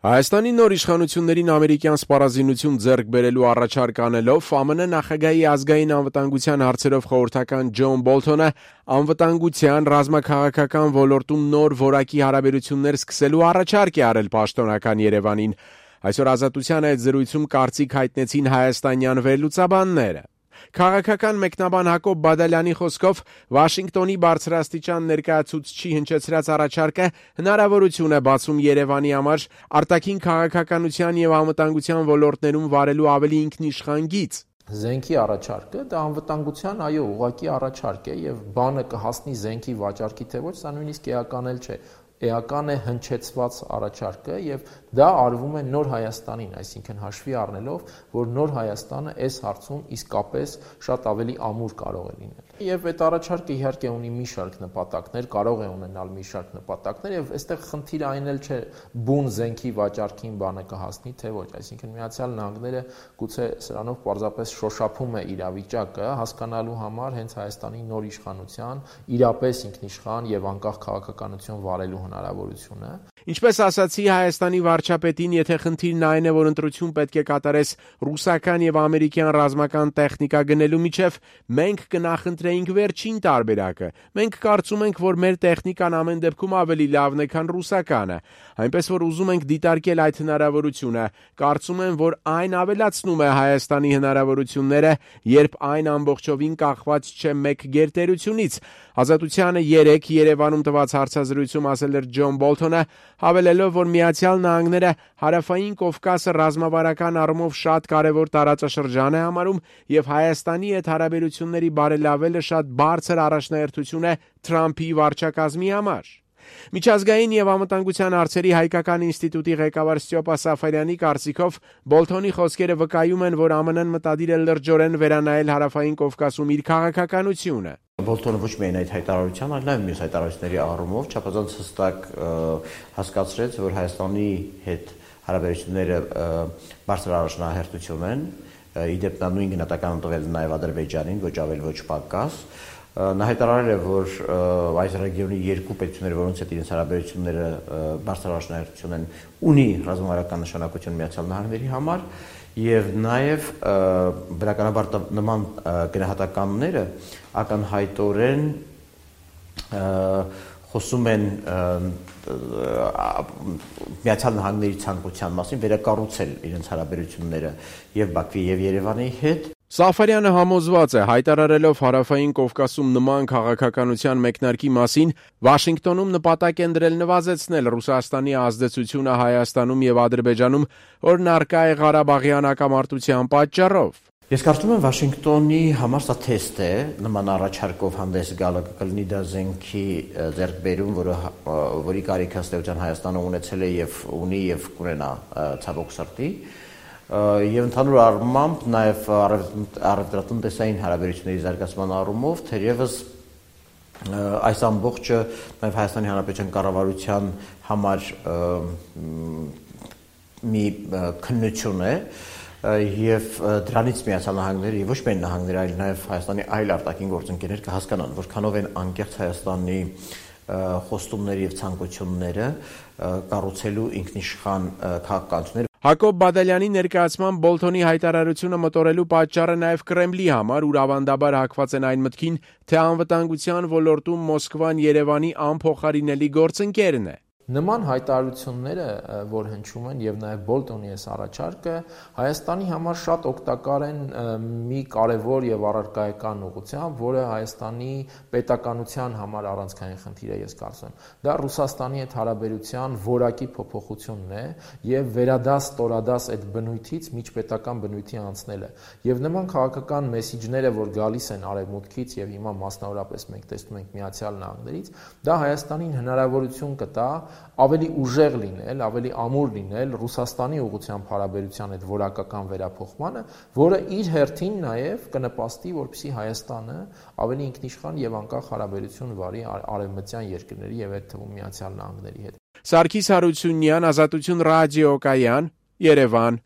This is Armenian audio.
Հայաստանի նոր իշխանություններին ամերիկյան սպառազինություն ձեռք բերելու առաջարկ անելով ԱՄՆ նախագահի ազգային անվտանգության հարցերով խորհրդական Ջոն Բոլթոնը անվտանգության ռազմաքաղաքական ոլորտում նոր որակի հարաբերություններ սկսելու առաջարկ է արել պաշտոնական Երևանին։ Այսօր Ազատության այդ զրույցում կարծիք հայտնեցին հայաստանյան վերլուծաբանները։ Քաղաքական մեկնաբան Հակոբ Բադալյանի խոսքով Վաշինգտոնի բարձրաստիճան ներկայացուցչի հնչեցրած առաջարկը հնարավորություն է բացում Երևանի համար արտաքին քաղաքականության եւ անվտանգության ոլորտներում վարելու ավելի ինքնիշխան գիծ։ Զենքի առաջարկը դա անվտանգության ուղղակի առաջարկ է եւ բանը կհասնի զենքի վաճառքի թե ոչ, սա նույնիսկ էական էլ չէ։ Էական է հնչեցված առաջարկը եւ դա արվում է Նոր Հայաստանին, այսինքն հաշվի առնելով, որ Նոր Հայաստանը այս հարցում իսկապես շատ ավելի ամուր կարող է լինել։ Եվ այդ առաջարկը իհարկե ունի մի շարք նպատակներ, կարող է ունենալ մի շարք նպատակներ եւ այստեղ խնդիրը այն էլ չէ բուն զենքի վաճառքին բանը կհասնի թե ոչ, այսինքն Միացյալ Նահանգները գուցե սրանով պարզապես շոշափում է իրավիճակը հասկանալու համար հենց Հայաստանի նոր իշխանության իրապես ինքնիշխան եւ անկախ քաղաքականություն վարելու հնարավորությունը։ Ինչպես ասացի Հայաստանի վարչապետին, եթե խնդիրն այն է, որ ընտրություն պետք է կատարես ռուսական եւ ամերիկյան ռազմական տեխնիկա գնելու միջև, մենք կնախընտրեինք վերջին տարբերակը։ Մենք կարծում ենք, որ մեր տեխնիկան ամեն դեպքում ավելի լավն է, քան ռուսականը, այնպես որ ուզում ենք դիտարկել այդ հնարավորությունը։ Կարծում եմ, որ այն ավելացնում է Հայաստանի հնարավորությունները, երբ այն ամբողջովին կախված չէ մեկ գերտերությունից։ Ազատությանը 3 Երևանում տված հարցազրույցում ասել էր Ջոն Բոլթոնը, հավելելով, որ Միացյալ Նահանգները Հարավային Կովկասը ռազմավարական առումով շատ կարևոր տարածաշրջան է համարում եւ Հայաստանի հետ հարաբերությունների բարելավելը շատ բարձր առաջնահերթություն է Թրամփի վարչակազմի համար։ Միջազգային եւ անվտանգության հարցերի հայկական ինստիտուտի ղեկավար Ստյոպա Սաֆարյանի կարծիքով Բոլթոնի խոսքերը վկայում են, որ ԱՄՆ-ն մտադիր է լրջորեն վերանայել Հարավային Կովկասում իր քաղաքականությունը։ Բոլթոնը ոչ միայն այդ հայտարարության, այլ նաև մյուս հայտարարությունների առումով չափազանց հստակ հասկացրեց, որ Հայաստանի հետ հարաբերությունները բարձր առաջնահերթություն են, իդեպ նա նույն գնահատականը տվել նաև Ադրբեջանին, ոչ ավել ոչ պակաս։ Նա հայտարարել է, որ այս ռեգիոնի երկու պետությունները, որոնց հետ իրենց հարաբերությունները բարձր առաջնահերթություն են, ունի ռազմավարական նշանակություն Միացյալ Նահանգների համար եւ նաեւ բնականաբար նման գնահատականները ակնհայտորեն խոսում են Միացյալ Նահանգների ցանկության մասին վերակառուցել իրենց հարաբերությունները եւ Բաքվի եւ Երևանի հետ։ Սաֆարյանը համոզված է, հայտարարելով Հարավային Կովկասում նման քաղաքականության մեկնարկի մասին, Վաշինգտոնում նպատակ են դրել նվազեցնել Ռուսաստանի ազդեցությունը Հայաստանում եւ Ադրբեջանում, որն առկա է Ղարաբաղյան հակամարտության պատճառով։ Ես կարծում եմ Վաշինգտոնի համար սա թեստ է, նման առաջարկով հանդես գալը կլինի դա զենքի ձեռքբերում, որի կարիքը ըստ էության Հայաստանը ունեցել է եւ ունի եւ կունենա ցավոք սրտի։ Եվ ընդհանուր առմամբ նաև առևտրատնտեսային հարաբերությունների զարգացման առումով թերևս այս ամբողջը նաև Հայաստանի Հանրապետության կառավարության համար մի քննություն է եւ դրանից Միացյալ Նահանգները եւ ոչ միայն նահանգները, այլ նաև Հայաստանի այլ արտաքին գործընկերներ կհասկանան, որքանով են անկեղծ Հայաստանի խոստումները եւ ցանկությունները կառուցելու ինքնիշխան քաղաքականություններ։ Հակոբ Բադալյանի ներկայացման Բոլթոնի հայտարարությունը մտորելու պատճառը նաև Կրեմլի համար, ուր ավանդաբար հակված են այն մտքին, թե անվտանգության ոլորտում Մոսկվան Երևանի անփոխարինելի գործընկերն է։ Նման հայտարարությունները, որ հնչում են եւ նաեւ Բոլթոնի այս առաջարկը Հայաստանի համար շատ օգտակար են մի կարևոր եւ առարկայական ուղղությամբ, որը Հայաստանի պետականության համար առանցքային խնդիր է, ես կարծում եմ։ Դա Ռուսաստանի հետ հարաբերության որակի փոփոխությունն է եւ վերադաս ստորադաս այդ բնույթից միջպետական բնույթի անցնելը։ Եվ նման քաղաքական մեսիջները, որ գալիս են արևմուտքից եւ հիմա մասնավորապես մենք տեսնում ենք Միացյալ Նահանգներից, դա Հայաստանին հնարավորություն կտա ավելի ուժեղ լինել, ավելի ամուր լինել Ռուսաստանի ուղղությամբ հարաբերության այդ որակական վերափոխմանը, որը իր հերթին նաև կնպաստի, որպեսզի Հայաստանը ավելի ինքնիշխան եւ անկախ հարաբերություն վարի արևմտյան երկրների եւ այդ թվում Միացյալ Նահանգների հետ։ Սարգիս Հարությունյան, Ազատություն ռադիոկայան, Երևան։